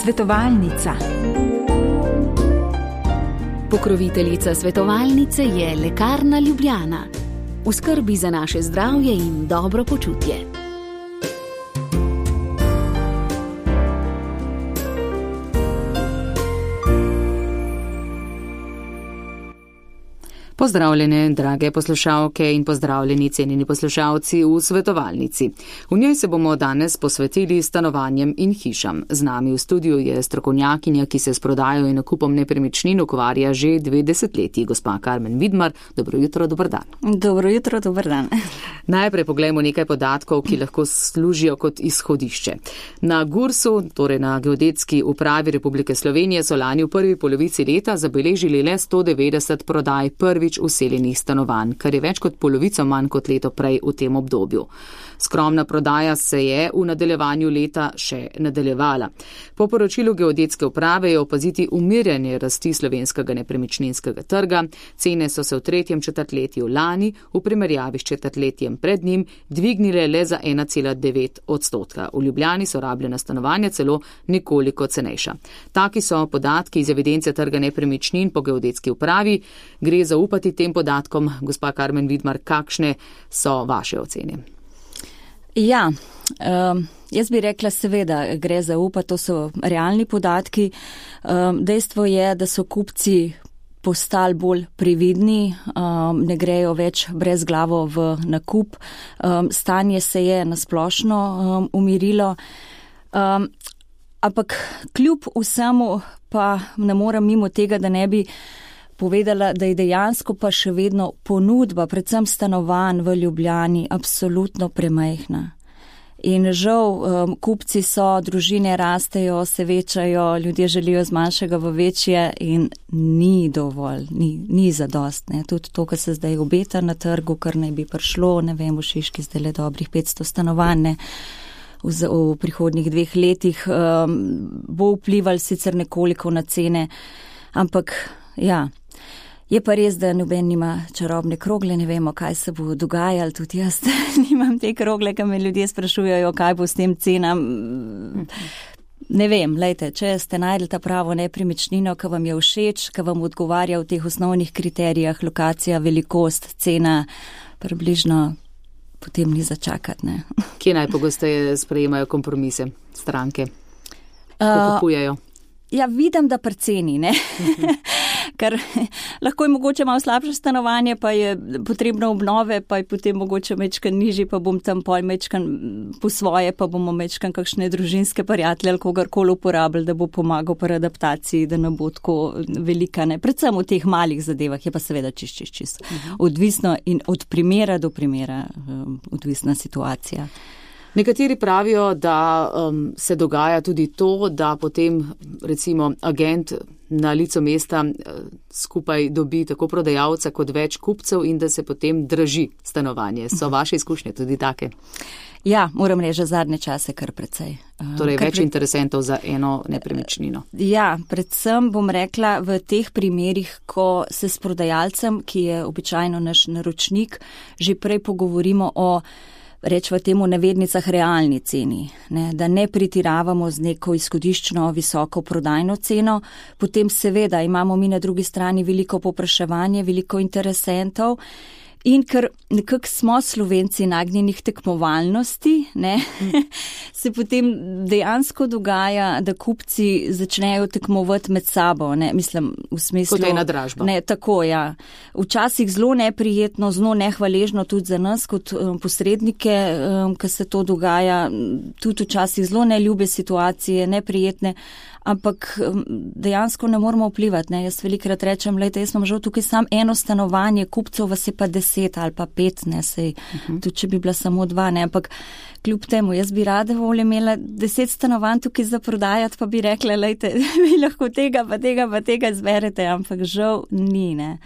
Svetovalnica. Pokroviteljica svetovalnice je Lekarna Ljubljana. V skrbi za naše zdravje in dobro počutje. Pozdravljene, drage poslušalke in pozdravljeni cenjeni poslušalci v svetovalnici. V njej se bomo danes posvetili stanovanjem in hišam. Z nami v studiu je strokovnjakinja, ki se s prodajo in nakupom nepremičnin ukvarja že 2 desetletji, gospa Karmen Vidmar. Dobro jutro, dober dan. Dobro jutro, dober dan. Najprej poglejmo nekaj podatkov, ki lahko služijo kot izhodišče. Na GURS-u, torej na Geodetski upravi Republike Slovenije, so lani v prvi polovici leta zabeležili le 190 prodaj prvič useljenih stanovanj, kar je več kot polovico manj kot leto prej v tem obdobju. Skromna prodaja se je v nadaljevanju leta še nadaljevala. Po poročilu Geodetske uprave je opaziti umirjanje rasti slovenskega nepremičninskega trga. Cene so se v 3. četrtletju lani v primerjavi s četrtletjem pred njim dvignile le za 1,9%. V Ljubljani so rabljena stanovanja celo nekoliko cenejša. Taki so podatki iz evidence trga nepremičnin po Geodetski upravi. Gre zaupati tem podatkom, gospa Karmen Vidmar, kakšne so vaše ocene? Ja, jaz bi rekla seveda, gre zaupati, to so realni podatki. Dejstvo je, da so kupci postali bolj previdni, ne grejo več brezglavo v nakup. Stanje se je nasplošno umirilo. Ampak kljub vsemu pa ne morem mimo tega, da ne bi povedala, da je dejansko pa še vedno ponudba, predvsem stanovanj v Ljubljani, absolutno premajhna. In žal, kupci so, družine rastejo, se večajo, ljudje želijo z manjšega v večje in ni dovolj, ni zadost. Ne. Tudi to, kar se zdaj obeta na trgu, kar naj bi prišlo, ne vem, v Šiški zdaj le dobrih 500 stanovanj, v prihodnjih 2 letih, bo vplival sicer nekoliko na cene, ampak ja. Je pa res, da noben nima čarobne krogle, ne vemo, kaj se bo dogajalo, tudi jaz nimam te krogle, ki me ljudje sprašujejo, kaj bo s tem cenam. Ne vem, lejte, če ste najdli ta pravo nepremičnino, ki vam je všeč, ki vam odgovarja v teh osnovnih kriterijah, lokacija, velikost, cena, približno potem ni začakati. Ne. Kje najpogosteje sprejemajo kompromise stranke, ko kupujejo? Ja, vidim, da pri ceni, ne. Ker lahko je mogoče malo slabše stanovanje, pa je potrebno obnove, pa je potem mogoče mečkan nižji, pa bom tam pol mečkan po svoje, pa bomo mečkan kakšne družinske prijatelje ali kogarkoli uporabili, da bo pomagal pri adaptaciji, da ne bo tako velika, ne. Predvsem v teh malih zadevah je pa seveda čist. Odvisno in od primera do primera odvisna situacija. Nekateri pravijo, da se dogaja tudi to, da potem recimo agent na licu mesta skupaj dobi tako prodajalca kot več kupcev in da se potem draži stanovanje. So vaše izkušnje tudi take? Ja, moram reči, zadnje čase kar precej. Torej več interesentov za eno nepremičnino. Ja, predvsem bom rekla v teh primerih, ko se s prodajalcem, ki je običajno naš naročnik, že prej pogovorimo o rečva temu navednicah realni ceni, ne, da ne pretiravamo z neko izhodiščno visoko prodajno ceno, potem seveda imamo mi na drugi strani veliko povpraševanje, veliko interesentov in ker nekako smo Slovenci nagnjenih tekmovalnosti, ne, se potem dejansko dogaja, da kupci začnejo tekmovati med sabo, ne, mislim v smislu. Kot ena dražba. Ne, tako, ja. Včasih zelo neprijetno, zelo nehvaležno tudi za nas kot posrednike, ko se to dogaja, tudi včasih zelo neljube situacije, neprijetne, ampak dejansko ne moramo vplivati. Ne. Jaz velikrat rečem, lejte, jaz imam žal tukaj samo eno stanovanje, kupcev vas je pa 10 ali pa 5, ne, sej, tudi če bi bila samo 2, ne, ampak kljub temu, jaz bi rada volje imela 10 stanovanj tukaj za prodajati, pa bi rekla, lejte, vi lahko tega pa tega zberete, ampak žal ni, ne.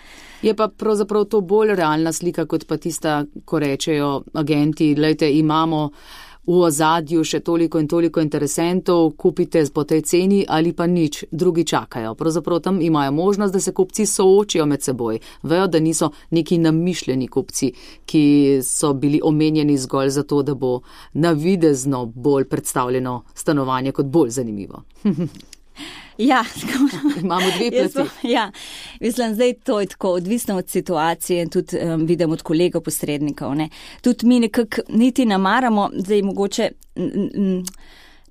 Je pa pravzaprav to bolj realna slika, kot pa tista, ko rečejo agenti, lejte, imamo v ozadju še toliko in toliko interesentov, kupite po tej ceni ali pa nič, drugi čakajo. Pravzaprav tam imajo možnost, da se kupci soočijo med seboj. Vejo, da niso neki namišljeni kupci, ki so bili omenjeni zgolj zato, da bo navidezno bolj predstavljeno stanovanje kot bolj zanimivo. Ja, imamo dve plati. Ja, mislim, zdaj to je tako odvisno od situacije in tudi vidim od kolegov posrednikov. Ne. Tudi mi nekako niti namaramo, zdaj mogoče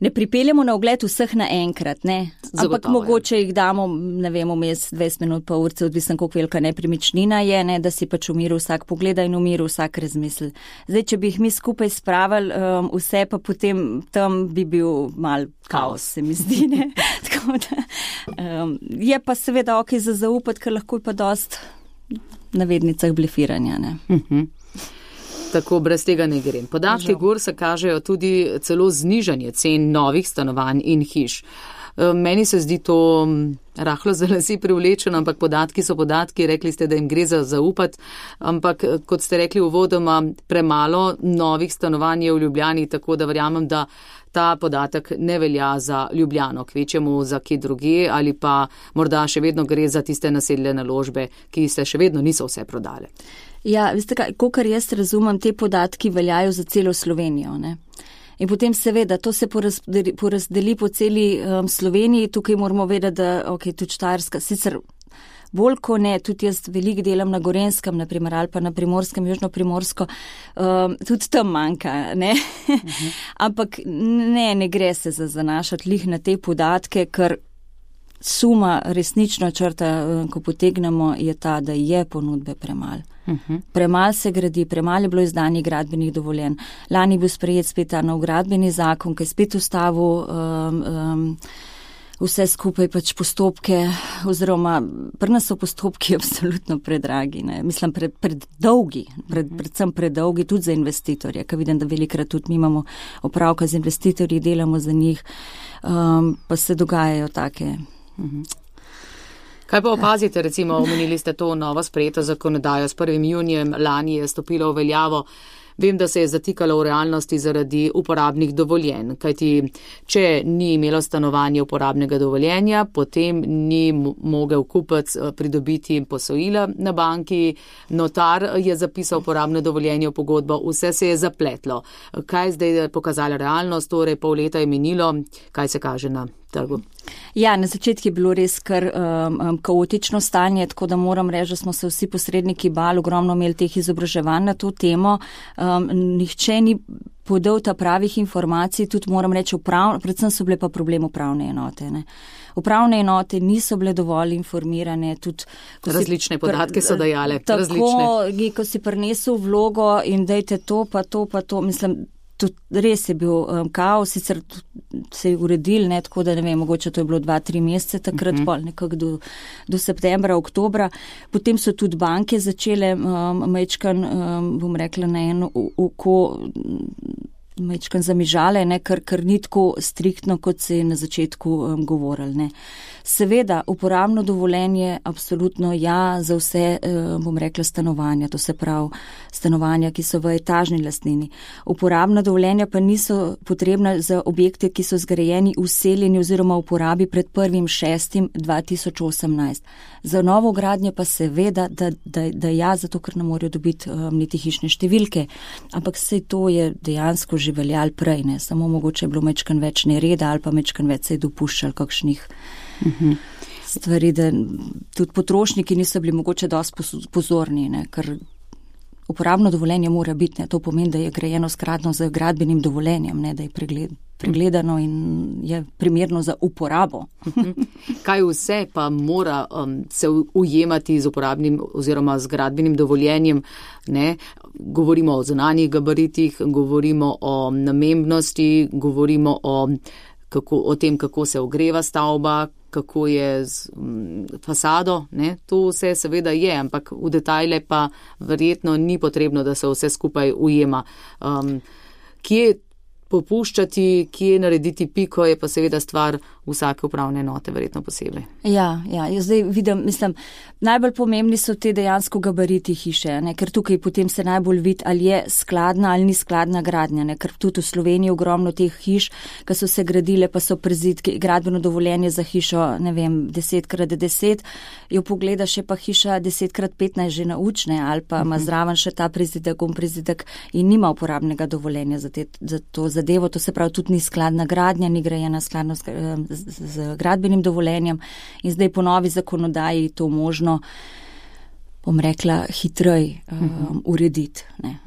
ne pripeljemo na ogled vseh naenkrat, ne. Ampak mogoče jih damo, ne vem, vmes 20 minut pa urce, odvisno koliko velika nepremičnina je, ne, da si pač v miru vsak pogleda in v miru vsak razmisli. Zdaj, če bi jih mi skupaj spravili, vse pa potem tam bi bil mal kaos, se mi zdi, ne. Tako da, je pa seveda ok za zaupati, ker lahko je pa dost na vednicah blefiranja, ne. Tako brez tega ne grem. Podatki Gursa kažejo tudi celo znižanje cen novih stanovanj in hiš. Meni se zdi to rahlo za lasi privlečeno, ampak podatki so podatki, rekli ste, da jim gre za zaupati, ampak kot ste rekli uvodoma, premalo novih stanovanj je v Ljubljani, tako da verjamem, da ta podatek ne velja za Ljubljano, kvečemu za kje druge ali pa morda še vedno gre za tiste naseljene naložbe, ki se še vedno niso vse prodale. Ja, veste kaj, kolikor jaz razumem, te podatki veljajo za celo Slovenijo, ne. In potem seveda, to se porazdeli po celi Sloveniji, tukaj moramo vedeti, da ok, tudi Štajerska, sicer bolj ko ne, tudi jaz veliko delam na Gorenskem, naprimer, ali pa na Primorskem, Južno-Primorsko, tudi tam manjka, ne. Ampak ne gre se zanašati lih na te podatke, ker suma resnično črta, ko potegnemo, je ta, da je ponudbe premalo. Premalo se gradi, premalo je bilo izdanih gradbenih dovoljenj. Lani bil sprejet spet ta nov gradbeni zakon, ki je spet ustavil vse skupaj pač postopke, oziroma pri nas so postopki absolutno predragi, ne. Mislim, predolgi, predvsem predolgi tudi za investitorje, ker vidim, da velikrat tudi mi imamo opravka z investitorji, delamo za njih, pa se dogajajo take. Kaj pa opazite, recimo, omenili ste to novo sprejeto zakonodajo, s 1. junijem lani je stopilo v veljavo. Vem, da se je zatikalo v realnosti zaradi uporabnih dovoljenj, kajti če ni imelo stanovanje uporabnega dovoljenja, potem ni mogel kupec pridobiti posojila na banki, notar je zapisal uporabno dovoljenje v pogodbo, vse se je zapletlo. Kaj zdaj je pokazala realnost, torej pol leta je minilo, kaj se kaže na trgu? Ja, na začetku je bilo res kar kaotično stanje, tako da moram reči, da smo se vsi posredniki bali, ogromno imeli teh izobraževanj na to temo. Nihče ni podal ta pravih informacij, tudi moram reči, predvsem so bile pa problem upravne enote. Ne. Upravne enote niso bile dovolj informirane. Tudi, različne podatke so dajale. Tako, različne. Ko si prinesel vlogo in dajte to, pa to, mislim, tudi res je bil kaos, sicer se je uredil, ne, tako da ne vem, mogoče to je bilo 2-3 mesece takrat, pol nekako do septembra, oktobra. Potem so tudi banke začele majčkan, bom rekla, na eno oko majčkan zamižale, ne, ker ni tako striktno, kot se je na začetku govorili. Ne. Seveda, uporabno dovoljenje absolutno ja za vse, bom rekla, stanovanja, to se pravi stanovanja, ki so v etažni lastnini. Uporabna dovoljenja pa niso potrebna za objekte, ki so zgrajeni, vseljeni oziroma v uporabi pred 1.6.2018. Za novo gradnje pa seveda, da ja, zato ker ne morejo dobiti niti hišne številke. Ampak sej to je dejansko že veljalo prej, ne, samo mogoče je bilo mečkan več nereda ali pa mečkan več se je dopuščal kakšnih stvari, da tudi potrošniki niso bili mogoče dosti pozorni, ne, ker uporabno dovoljenje mora biti, ne, to pomeni, da je grajeno skladno z gradbenim dovoljenjem, ne, da je pregledano in je primerno za uporabo. Kaj vse pa mora se ujemati z uporabnim oziroma z gradbenim dovoljenjem, ne? Govorimo o zunanjih gabaritih, govorimo o namembnosti, govorimo o tem, kako se ogreva stavba, kako je z fasado, ne? To vse seveda je, ampak v detajle pa verjetno ni potrebno, da se vse skupaj ujema. Kje popuščati, kje narediti piko, je pa seveda stvar vsake upravne enote, verjetno posebej. Ja, jaz zdaj vidim, najbolj pomembni so te dejansko gabariti hiše, ne, ker tukaj potem se najbolj vidi, ali je skladna ali ni skladna gradnja, ne, ker tudi v Sloveniji ogromno teh hiš, ki so se gradile, pa so prizidki, gradbeno dovoljenje za hišo, 10x10, jo pogledaš, je pa hiša 10x15 že naučne, ali pa ima zraven še ta prizidek in nima uporabnega dovoljenja za to zadevo, to se pravi tudi ni skladna gradnja, ni grajena skladno z gradbenim dovoljenjem in zdaj po novi zakonodaji to možno, bom rekla, hitrej urediti. Ne.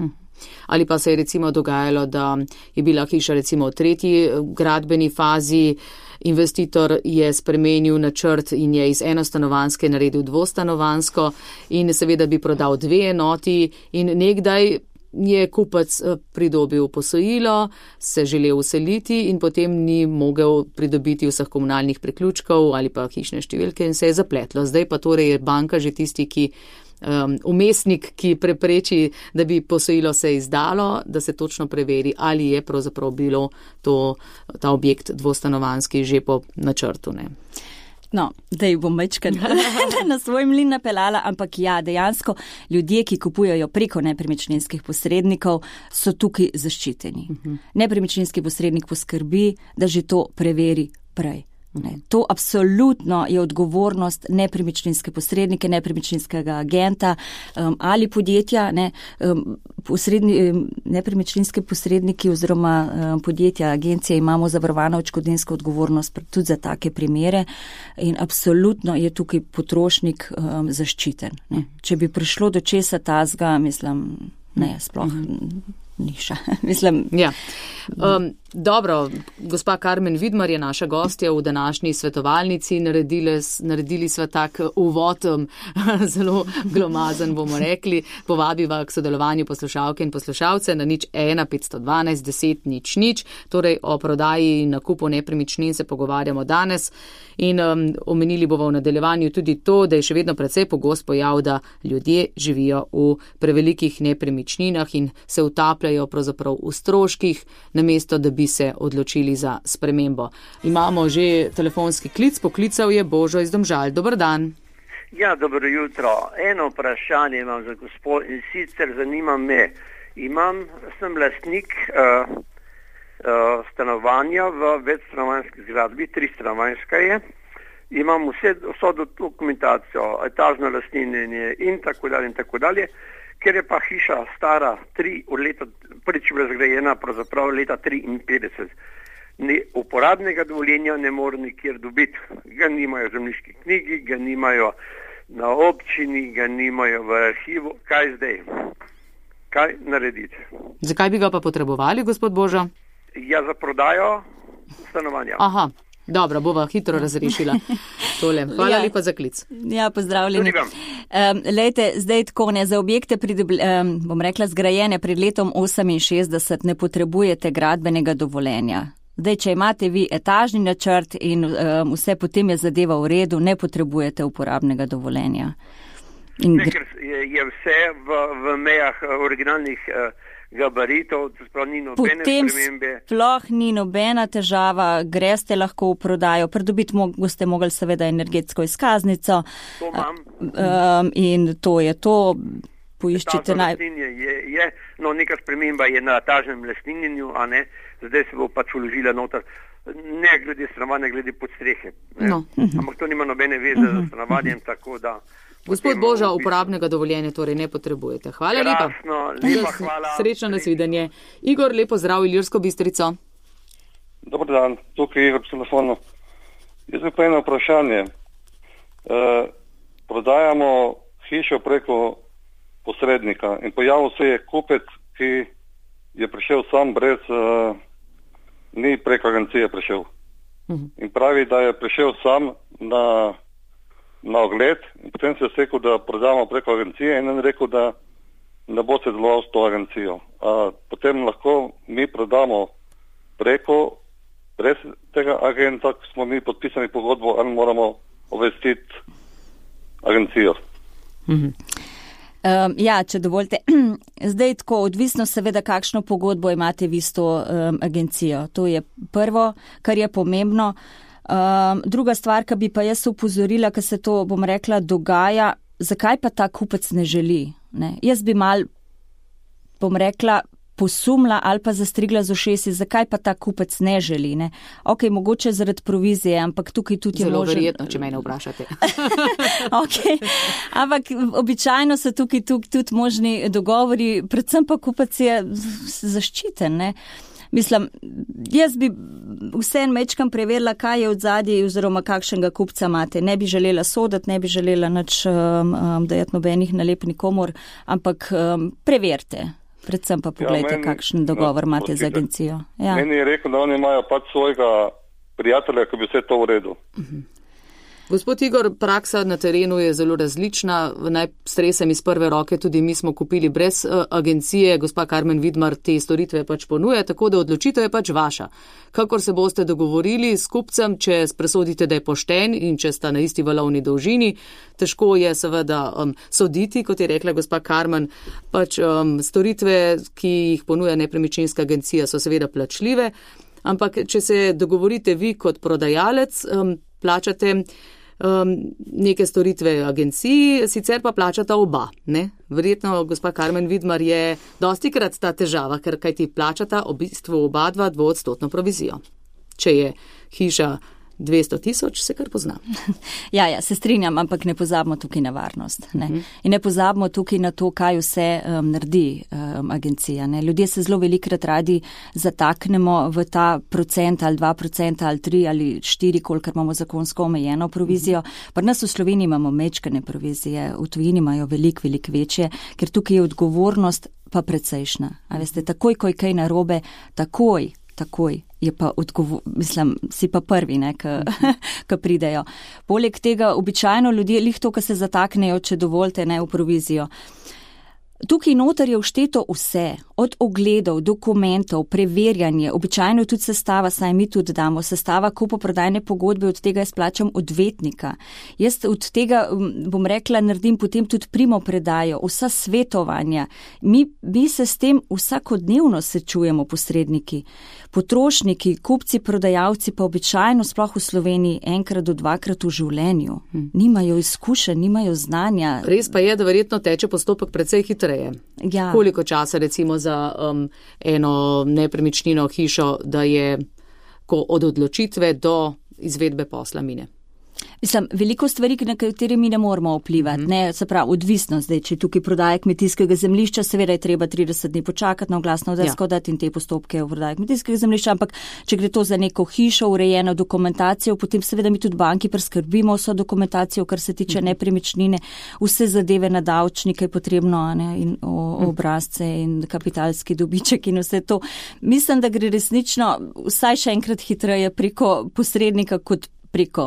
Ali pa se je recimo dogajalo, da je bila hiša recimo v 3. gradbeni fazi, investitor je spremenil načrt in je iz enostanovanjske naredil dvostanovanjsko in seveda bi prodal 2 enoti in nekdaj je kupec pridobil posojilo, se želel useliti in potem ni mogel pridobiti vseh komunalnih priključkov ali pa hišne številke in se je zapletlo. Zdaj pa torej je banka že tisti, ki umestnik, ki prepreči, da bi posojilo se izdalo, da se točno preveri, ali je pravzaprav bilo ta objekt dvostanovanjski že po načrtu. Ne. No, zdaj bom večkrat na svoj mlin napeljala, ampak ja, dejansko ljudje, ki kupujejo preko nepremičninskih posrednikov, so tukaj zaščiteni. Nepremičninski posrednik poskrbi, da že to preveri prej. Ne, to absolutno je odgovornost nepremičninske posrednike, nepremičninskega agenta ali podjetja. Nepremičninske posredniki oziroma podjetja, agencije imamo zavarovano odškodninsko odgovornost tudi za take primere in absolutno je tukaj potrošnik zaščiten. Ne. Če bi prišlo do česa tazga, sploh niša. Ja. Dobro, gospa Karmen Vidmar je naša gostja v današnji svetovalnici. Naredili sva tak uvod, zelo glomazen bomo rekli. Povabiva k sodelovanju poslušalke in poslušalce na 01 512 10 00. Torej o prodaji in nakupu nepremičnin se pogovarjamo danes in omenili bomo v nadaljevanju tudi to, da je še vedno precej pogost pojav, da ljudje živijo v prevelikih nepremičninah in se utapljajo pravzaprav v stroških, namesto da bi se odločili za spremembo. Imamo že telefonski klic, poklical je Božo iz Domžal. Dober dan. Ja, dobro jutro. Eno vprašanje imam za gospod in sicer zanima me. Sem lastnik stanovanja v večstanovanjski zgradbi, 3-stanovanjska je. Imam vso dokumentacijo, etažno lastninjenje in tako dalje. Ker je pa hiša stara prvič bila zgrajena pravzaprav leta 1953. Uporabnega dovoljenja ne more nikjer dobiti. Ga nimajo v zemljiški knjigi, ga nimajo na občini, ga nimajo v arhivu. Kaj zdaj? Kaj narediti? Zakaj bi ga pa potrebovali, gospod Božo? Ja, za prodajo stanovanja. Aha. Dobro, bova hitro razrešila tole. Hvala lepa za klic. Ja, pozdravljeni. Lejte, zdaj tako ne, za objekte bom rekla zgrajene pred letom 68 ne potrebujete gradbenega dovoljenja. Zdaj, če imate vi etažni načrt in vse potem je zadeva v redu, ne potrebujete uporabnega dovoljenja. Ker je vse v mejah originalnih gabaritov, sploh ni nobene spremembe. Potem sploh ni nobena težava, greste lahko v prodajo, pridobiti boste mogli seveda energetsko izkaznico. To imam. In to je to. Poiščite neka sprememba je na etažnem lastninjenju, a ne, zdaj se bo pač vložila noter, ne glede stanovanja, glede podstrehe. Ampak to nima nobene veze z stanovanjem, tako da. Gospod Boža, uporabnega dovoljenja torej ne potrebujete. Hvala lepa. Lepa hvala. Srečno nasvidenje. Igor, lepo zdrav, Ilirsko Bistrico. Dobar dan, tukaj je Igor po telefonu. Jaz bi pa eno vprašanje. Prodajamo hišo preko posrednika in pojavil se je kupec, ki je prišel sam ni preko agencije prišel. In pravi, da je prišel sam na ogled in potem se je rekel, da prodamo preko agencije in on rekel, da ne bo se deloval s to agencijo. Potem lahko mi prodamo brez tega agenta, ko smo mi podpisani pogodbo, ali moramo obvestiti agencijo. Ja, če dovolite. Zdaj tako, odvisno seveda, kakšno pogodbo imate vi s to agencijo. To je prvo, kar je pomembno. Druga stvar, ki bi pa jaz upozorila, ker se to, bom rekla, dogaja, zakaj pa ta kupec ne želi? Ne? Jaz bi mal, bom rekla, posumla ali pa zastrigla z ušesi, zakaj pa ta kupec ne želi. Ne? Ok, mogoče zaradi provizije, ampak tukaj tudi je zelo verjetno, če mene vprašate. Okay. Ampak običajno so tukaj tudi možni dogovori, predvsem pa kupec je zaščiten. Ne? Mislim, jaz bi vsem mečkam preverila, kaj je od zadnji oziroma kakšnega kupca imate. Ne bi želela soditi, ne bi želela nič dajati nobenih nalepk nikomor, ampak preverite. Predvsem pa pogledajte, kakšen dogovor imate z agencijo. Ja. Meni je rekel, da oni imajo pač svojega prijatelja, ki bi vse to uredil. Gospod Igor, praksa na terenu je zelo različna. Naj stresem iz prve roke, tudi mi smo kupili brez agencije. Gospa Karmen Vidmar te storitve pač ponuja, tako da odločitev je pač vaša. Kakor se boste dogovorili s kupcem, če presodite, da je pošten in če sta na isti valovni dolžini, težko je seveda soditi, kot je rekla gospa Karmen. Pač storitve, ki jih ponuja nepremičninska agencija, so seveda plačljive, ampak če se dogovorite vi kot prodajalec, plačate neke storitve agenciji, sicer pa plačata oba. Ne? Verjetno, gospa Karmen Vidmar, je dostikrat ta težava, ker kaj ti plačata v bistvu oba 2% provizijo. Če je hiša 200,000, se kar pozna. Ja, se strinjam, ampak ne pozabimo tukaj na varnost. Ne? In ne pozabimo tukaj na to, kaj vse naredi agencija. Ne? Ljudje se zelo velikrat radi zataknemo v ta procent ali 2% ali 3 ali 4, kolikor imamo zakonsko omejeno provizijo. Pri nas v Sloveniji imamo mečkane provizije, v tujini imajo veliko večje, ker tukaj je odgovornost pa precejšna. A veste, takoj, ko je kaj narobe, takoj je pa si pa prvi, ki pridejo. Poleg tega, običajno ljudje, lih to, ki se zataknejo, če dovolite, v provizijo. Tukaj noter je všteto vse, od ogledov, dokumentov, preverjanje, običajno tudi sestava, saj mi tudi damo, sestava kupoprodajne pogodbe, od tega jaz plačam odvetnika. Jaz od tega, bom rekla, naredim potem tudi primopredajo, vsa svetovanja. Mi se s tem vsakodnevno srečujemo, posredniki. Potrošniki, kupci, prodajalci pa običajno, sploh v Sloveniji, enkrat do dvakrat v življenju. Nimajo izkušenj, nimajo znanja. Res pa je, da verjetno teče postopek precej hitreje. Ja. Koliko časa recimo za eno nepremičnino hišo, da je od odločitve do izvedbe posla mine? Mislim, veliko stvari, na katere mi ne moramo vplivati, se pravi, odvisno zdaj, če tukaj prodaje kmetijskega zemljišča, seveda je treba 30 dni počakati na oglasno desko, dati in te postopke v prodaje kmetijskega zemljišča, ampak če gre to za neko hišo, urejeno dokumentacijo, potem seveda mi tudi banki preskrbimo vso dokumentacijo, kar se tiče nepremičnine, vse zadeve na davčnike je potrebno, in obrazce in kapitalski dobiček in vse to. Mislim, da gre resnično vsaj še enkrat hitreje preko posrednika kot preko,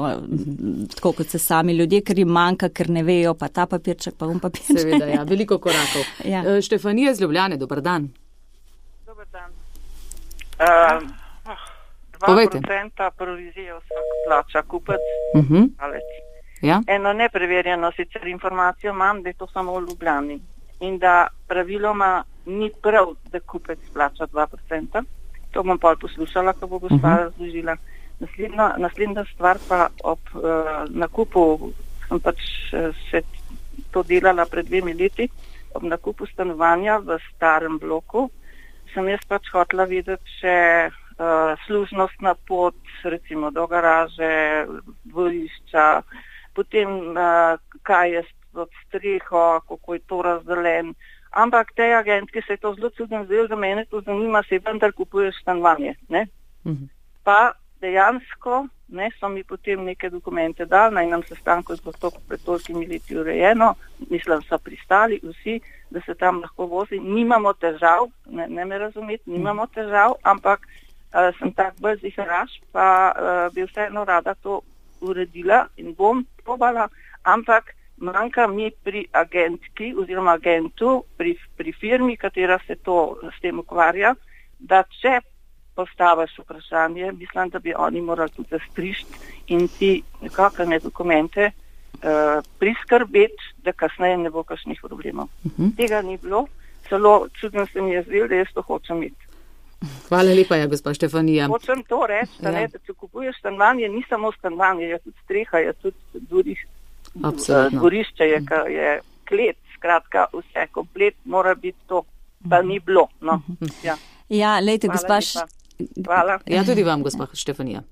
tako kot se sami ljudje, ker jim manjka, ker ne vejo, pa ta papirček, pa papirček. Seveda, ja, veliko korakov. Ja. Štefanija iz Ljubljane, dober dan. Dober dan. 2% provizije vsak plača kupec, alec. Ja. Eno nepreverjeno sicer informacijo imam, da je to samo v Ljubljani in da praviloma ni prav, da kupec plača 2%. To bom pol poslušala, ko bo gospa razložila. Naslednja stvar pa ob nakupu, sem pač se to delala pred 2 leti, ob nakupu stanovanja v starem bloku, sem jaz pač hotela videti še služnostna pot, recimo do garaže, dvorišča, potem kaj je pod streho, kako je to razdeljen. Ampak tej agentki se je to zelo čudno zdelo, za mene to zanima, se vendar kupuješ stanovanje. Pa dejansko so mi potem neke dokumente dali, na enem sestanku je bilo to pred tolikimi leti urejeno, mislim, so pristali vsi, da se tam lahko vozi. Nimamo težav, ne me razumeti, nimamo težav, ampak sem tak bolj ziharaš, pa bi vseeno rada to uredila in bom probala, ampak manjka mi pri agentki oziroma agentu, pri firmi, katera se s tem ukvarja, da če postaviš vprašanje, mislim, da bi oni morali tudi zastrišti in ti nekakšne dokumente priskrbeti, da kasneje ne bo kakšnih problemov. Tega ni bilo, celo čudno se mi je zdelo, da jaz to hočem imeti. Hvala lepa, gospa Štefanija. Hočem to reči, da če kupuješ stanovanje, ni samo stanovanje, je tudi streha, je tudi dvorišče, je klet, skratka, vse komplet mora biti to, pa ni bilo. No. Ja, lejte, gospa. Hvala. Ja, tudi vam, gospa Štefanija.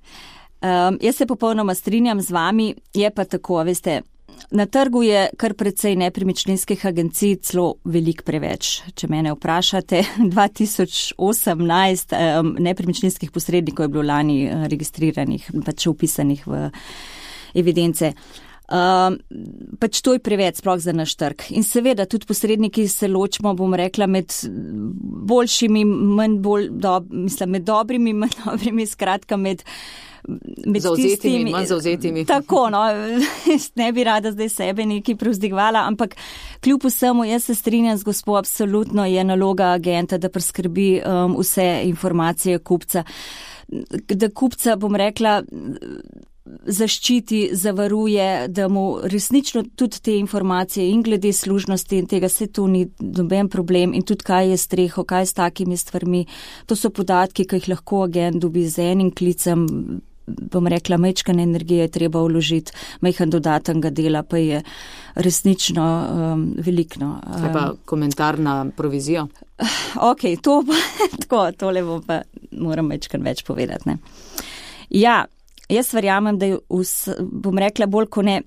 Jaz se popolnoma strinjam z vami, je pa tako, veste, na trgu je kar precej nepremičninskih agencij, celo veliko preveč. Če mene vprašate, 2018 nepremičninskih posrednikov je bilo lani registriranih, pač upisanih v evidence. Pač to je preveč sploh za naš trg. In seveda tudi posredniki se ločimo, bom rekla, med boljšimi, med dobrimi, manj dobrimi, skratka med zauzetimi in manj zauzetimi. Tako, no, ne bi rada zdaj sebe nekaj prevzdigvala, ampak kljub vsemu jaz se strinjam z gospo, absolutno je naloga agenta, da preskrbi vse informacije kupca. Da kupca, bom rekla, zaščiti, zavaruje, da mu resnično tudi te informacije in glede služnosti in tega se tu ni noben problem in tudi kaj je streho, kaj s takimi stvarmi. To so podatki, ki jih lahko agent dobi z enim klicem, bom rekla, majčkane energije je treba vložiti, majhen dodatnega dela pa je resnično velikno. Kaj pa komentar na provizijo? Ok, to pa tako, tole bom pa moram majčkan več povedati, ne. Ja, jaz verjamem, da je, bom rekla, bolj ko ne,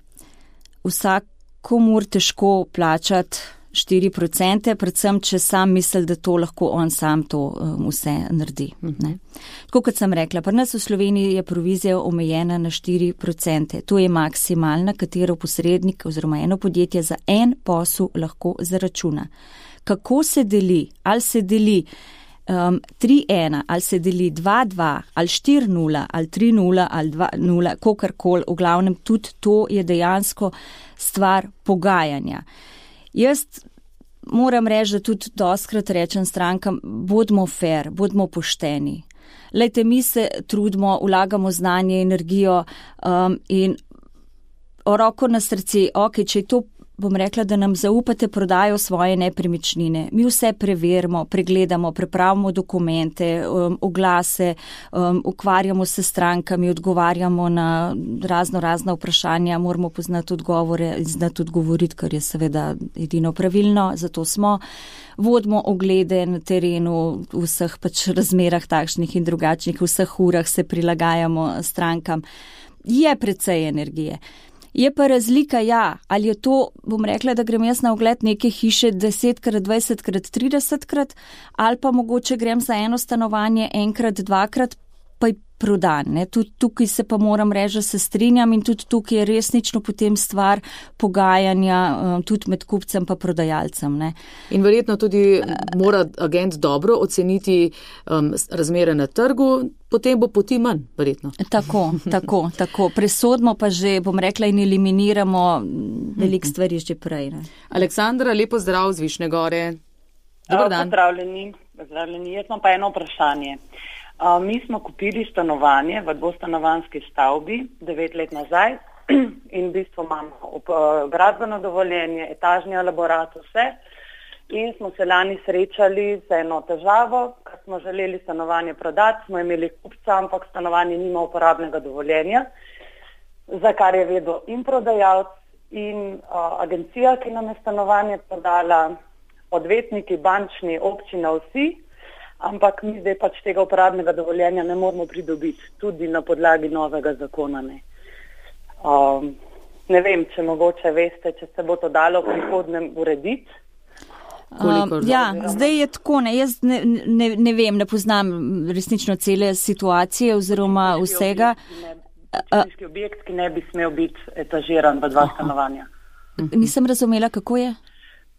vsakomur težko plačati 4%, predvsem, če sam misli, da to lahko on sam to vse naredi. Ne. Tako kot sem rekla, pri nas v Sloveniji je provizija omejena na 4%. To je maksimalna, katero posrednik oziroma eno podjetje za en posel lahko zaračuna. Kako se deli? Ali se deli 3-1, ali se deli 2-2, ali 4-0, ali 3-0, ali 2-0, kakorkoli, v glavnem tudi to je dejansko stvar pogajanja. Jaz moram reči, da tudi dostkrat rečem strankam, bodimo fair, bodimo pošteni. Lejte, mi se trudimo, vlagamo znanje, energijo in roko na srce, ok, če je to, bom rekla, da nam zaupate prodajo svoje nepremičnine. Mi vse preverimo, pregledamo, prepravimo dokumente, oglase, ukvarjamo se s strankami, odgovarjamo na razna vprašanja, moramo poznati odgovore in znati odgovoriti, kar je seveda edino pravilno, zato smo. Vodimo oglede na terenu v vseh pač razmerah takšnih in drugačnih, v vseh urah se prilagajamo strankam. Je precej energije. Je pa razlika, ja, ali je to, bom rekla, da grem jaz na ogled neke hiše 10-krat, 20-krat, 30-krat, ali pa mogoče grem za eno stanovanje enkrat, dvakrat, pa je prodan. Ne. Tudi tukaj se pa moram reči, da se strinjam in tudi tukaj je resnično potem stvar pogajanja, tudi med kupcem pa prodajalcem. Ne. In verjetno tudi mora agent dobro oceniti razmere na trgu, potem bo poti manj, verjetno. Tako. Presodimo pa že, bom rekla, in eliminiramo veliko stvari že prej. Ne. Aleksandra, lepo zdrav z Višnje Gore. Dobar dan. Pozdravljeni. Jaz imam pa eno vprašanje. Mi smo kupili stanovanje v dvostanovanjski stavbi 9 let nazaj in v bistvu imamo gradbeno dovoljenje, etažni elaborat, vse. In smo se lani srečali z eno težavo, ker smo želeli stanovanje prodati, smo imeli kupca, ampak stanovanje nima uporabnega dovoljenja, za kar je vedel in prodajalec in agencija, ki nam je stanovanje prodala, odvetniki, bančni, občina, vsi. Ampak mi zdaj pač tega uporabnega dovoljenja ne moramo pridobiti, tudi na podlagi novega zakona. Ne vem, če mogoče veste, če se bo to dalo v prihodnjem urediti. Zdaj je tako, jaz ne vem, ne poznam resnično cele situacije oziroma vsega. Počitniški objekt, ki ne bi smel biti etažiran v 2 stanovanja. Nisem razumela, kako je?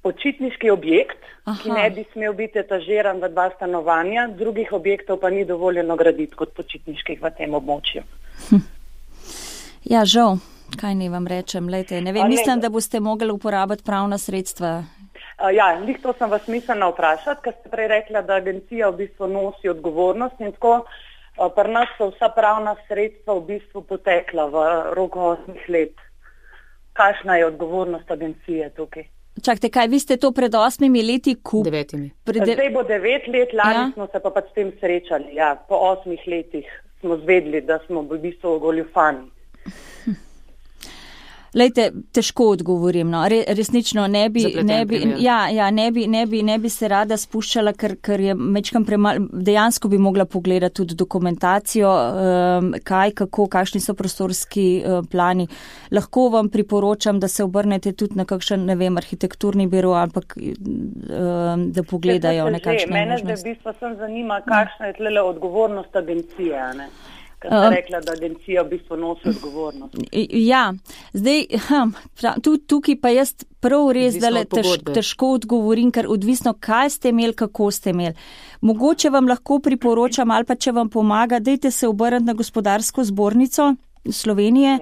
Počitniški objekt, ki ne bi smel biti etažiran v 2 stanovanja, drugih objektov pa ni dovoljeno graditi kot počitniških v tem območju. Ja, žal, kaj ne vam rečem, lejte, ne vem, mislim, da boste mogli uporabiti pravna sredstva. Lih to sem vas mislila vprašati, ker ste prej rekla, da agencija v bistvu nosi odgovornost in tako pri nas so vsa pravna sredstva v bistvu potekla v roku 8 let. kakšna je odgovornost agencije tukaj. Čakajte, kaj, vi ste to pred 8 leti kupili? 9. Zdaj bo 9 let, lani smo se pa s tem srečali. Ja, po 8 letih smo zvedli, da smo v bistvu goljufani. Lejte, težko odgovorim, no. Resnično ne bi se rada spuščala, ker je mečkam dejansko bi mogla pogledati tudi dokumentacijo, kakšni so prostorski plani. Lahko vam priporočam, da se obrnete tudi na kakšen, ne vem, arhitekturni biro, ampak da pogledajo nekakšne možnosti. Mene zdaj v bistvu sem zanima, kakšna je tlele odgovornost agencije, ne? Ker ste rekla, da agencija v bistvu nosi odgovornost. Ja, zdaj, tukaj pa jaz prav res težko odgovorim, ker odvisno, kaj ste imeli, kako ste imeli. Mogoče vam lahko priporočam, ali pa če vam pomaga, dajte se obrniti na Gospodarsko zbornico Slovenije.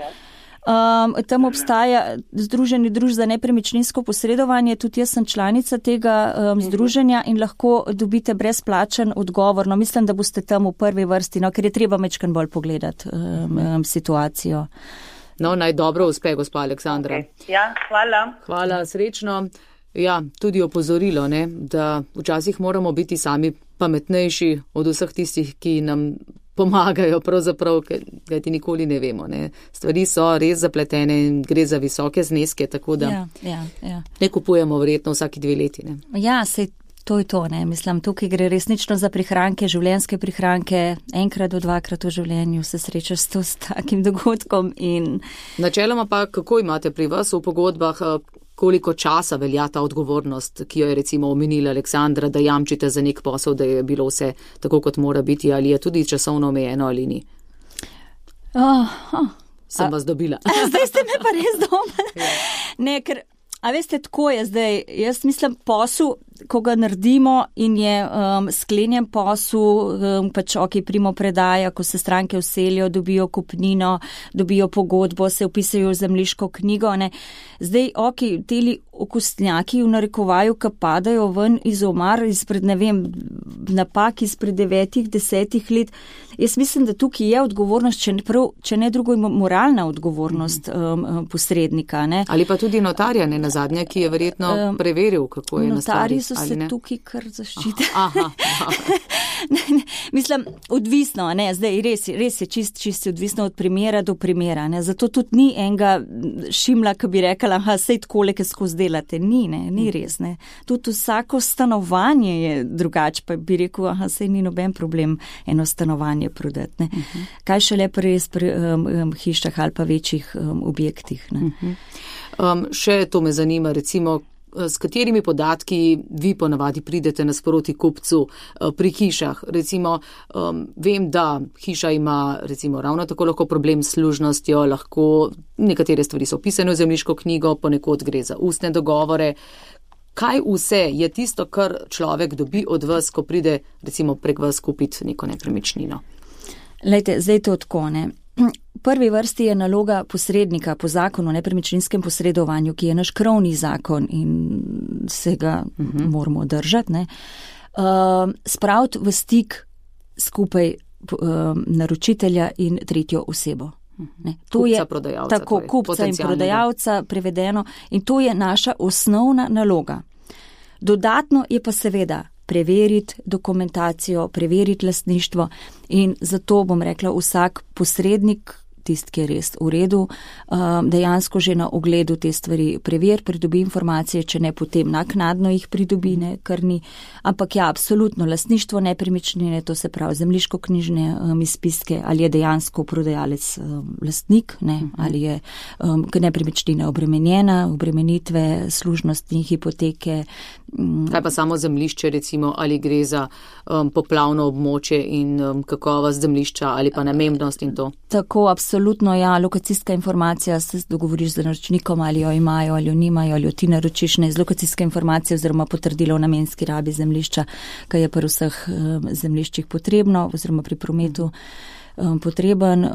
Tam obstaja Združenje družb za nepremičninsko posredovanje, tudi jaz sem članica tega združenja in lahko dobite brezplačen odgovor. No, mislim, da boste tam v prvi vrsti, no, ker je treba mečkan bolj pogledati situacijo. No, naj dobro uspe, gospa Aleksandra. Okay. Ja, hvala. Hvala, srečno. Ja, tudi opozorilo, ne, da včasih moramo biti sami pametnejši od vseh tistih, ki nam pomagajo pravzaprav, kajti nikoli ne vemo. Ne. Stvari so res zapletene in gre za visoke zneske, tako da ne kupujemo verjetno vsaki 2 leti. Ne. Ja, sej to je to, ne. Mislim, tukaj gre resnično za prihranke, življenjske prihranke, enkrat do 2krat v življenju se srečaš s takim dogodkom. In načeloma pa, kako imate pri vas v pogodbah, koliko časa velja ta odgovornost, ki jo je recimo omenila Aleksandra, da jamčite za nek posel, da je bilo vse tako, kot mora biti, ali je tudi časovno omejeno ali ni? Sem vas dobila. Zdaj ste me pa res dobili. Ne, ker, a veste, tako je zdaj. Jaz mislim, posel, ko ga naredimo in je sklenjen posel, pač primo predaja, ko se stranke vselijo, dobijo kupnino, dobijo pogodbo, se vpisajo v zemljiško knjigo, ne. Zdaj, teli okostnjaki v narekovaju, ki padajo ven iz omar, izpred, ne vem, napak izpred 9-10 let. Jaz mislim, da tukaj je odgovornost, če ne drugo, moralna odgovornost posrednika, ne. Ali pa tudi notarja, ne nazadnje, ki je verjetno preveril, kako je nastali. Notarji so se tukaj kar zaščitili. Mislim, odvisno, ne, zdaj res je čisto odvisno od primera do primera, ne. Zato tudi ni enega šimla, ki bi rekala, sej takole, ki skozi delate. Ni res, ne. Tudi vsako stanovanje je drugače, pa bi rekel, sej ni noben problem eno stanovanje prodati, ne. Kaj šele pri hišah ali pa večjih objektih, ne. Še to me zanima, recimo, s katerimi podatki vi ponavadi pridete nasproti kupcu pri hišah. Recimo, vem, da hiša ima recimo ravno tako lahko problem s služnostjo, lahko nekatere stvari so opisane v zemljiško knjigo, ponekod gre za ustne dogovore. Kaj vse je tisto, kar človek dobi od vas, ko pride recimo prek vas kupiti neko nepremičnino? Lejte, zdaj to tako, ne. V prvi vrsti je naloga posrednika po zakonu o nepremičninskem posredovanju, ki je naš krovni zakon in se ga moramo držati, ne. Spraviti v stik skupaj naročitelja in tretjo osebo. Ne. Kupca, prodajalca. Tako, kupca in prodajalca prevedeno. In to je naša osnovna naloga. Dodatno je pa seveda preveriti dokumentacijo, preveriti lastništvo in zato bom rekla, vsak posrednik, tisti, ki je res v redu, dejansko že na ogledu te stvari preveri, pridobi informacije, če ne potem naknadno jih pridobi, ne, kar ni. Ampak ja, absolutno, lastništvo nepremičnine, to se pravi zemljiško-knjižne izpiske, ali je dejansko prodajalec lastnik, ne, ali je nepremičnina obremenjena, obremenitve, služnosti, hipoteke. Kaj pa samo zemljišče, recimo, ali gre za poplavno območje in kakovost zemljišča ali pa namembnost in to? Tako, absolutno, ja, lokacijska informacija, se dogovoriš z naročnikom, ali jo imajo, ali jo nimajo, ali jo ti naročiš, ne, z lokacijske informacije oziroma potrdilo o namenski rabi zemljišča, kaj je pri vseh zemljiščih potrebno oziroma pri prometu potreben,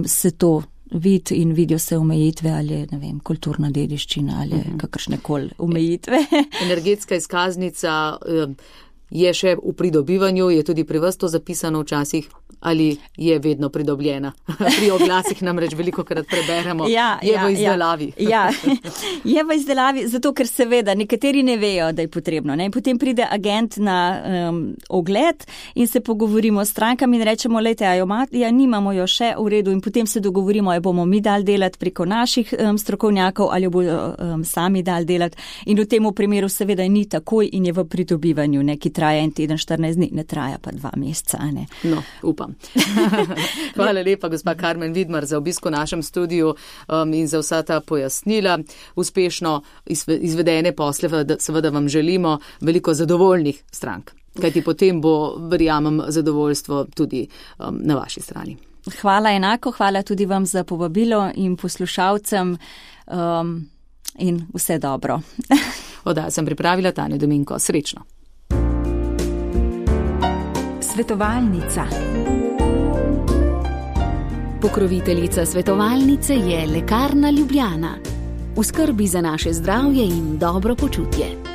se to vidi in vidijo se omejitve ali, ne vem, kulturna dediščina ali kakršnekoli omejitve. Energetska izkaznica, je še v pridobivanju, je tudi pri vas to zapisano včasih, ali je vedno pridobljena? Pri oglasih namreč velikokrat preberemo, je v izdelavi. Je v izdelavi, zato ker seveda nekateri ne vejo, da je potrebno. Ne? Potem pride agent na ogled in se pogovorimo s strankami in rečemo, lejte, nimamo jo še v redu, in potem se dogovorimo, jo bomo mi dali delati preko naših strokovnjakov ali jo bodo sami dali delati. In v tem primeru seveda ni takoj in je v pridobivanju, ne, ki traja 1 teden, 14 dni, ne traja pa 2 meseca. Ne? No, upam. Hvala lepa, gospa Karmen Vidmar, za obisk v našem studiu in za vsa ta pojasnila. Uspešno izvedene posle, seveda vam želimo veliko zadovoljnih strank, kajti potem bo, verjamem, zadovoljstvo tudi na vaši strani. Hvala enako, hvala tudi vam za povabilo in poslušalcem in vse dobro. Oddajo sem pripravila Tanja Dominko. Srečno. Svetovalnica. Pokroviteljica svetovalnice je Lekarna Ljubljana. V skrbi za naše zdravje in dobro počutje.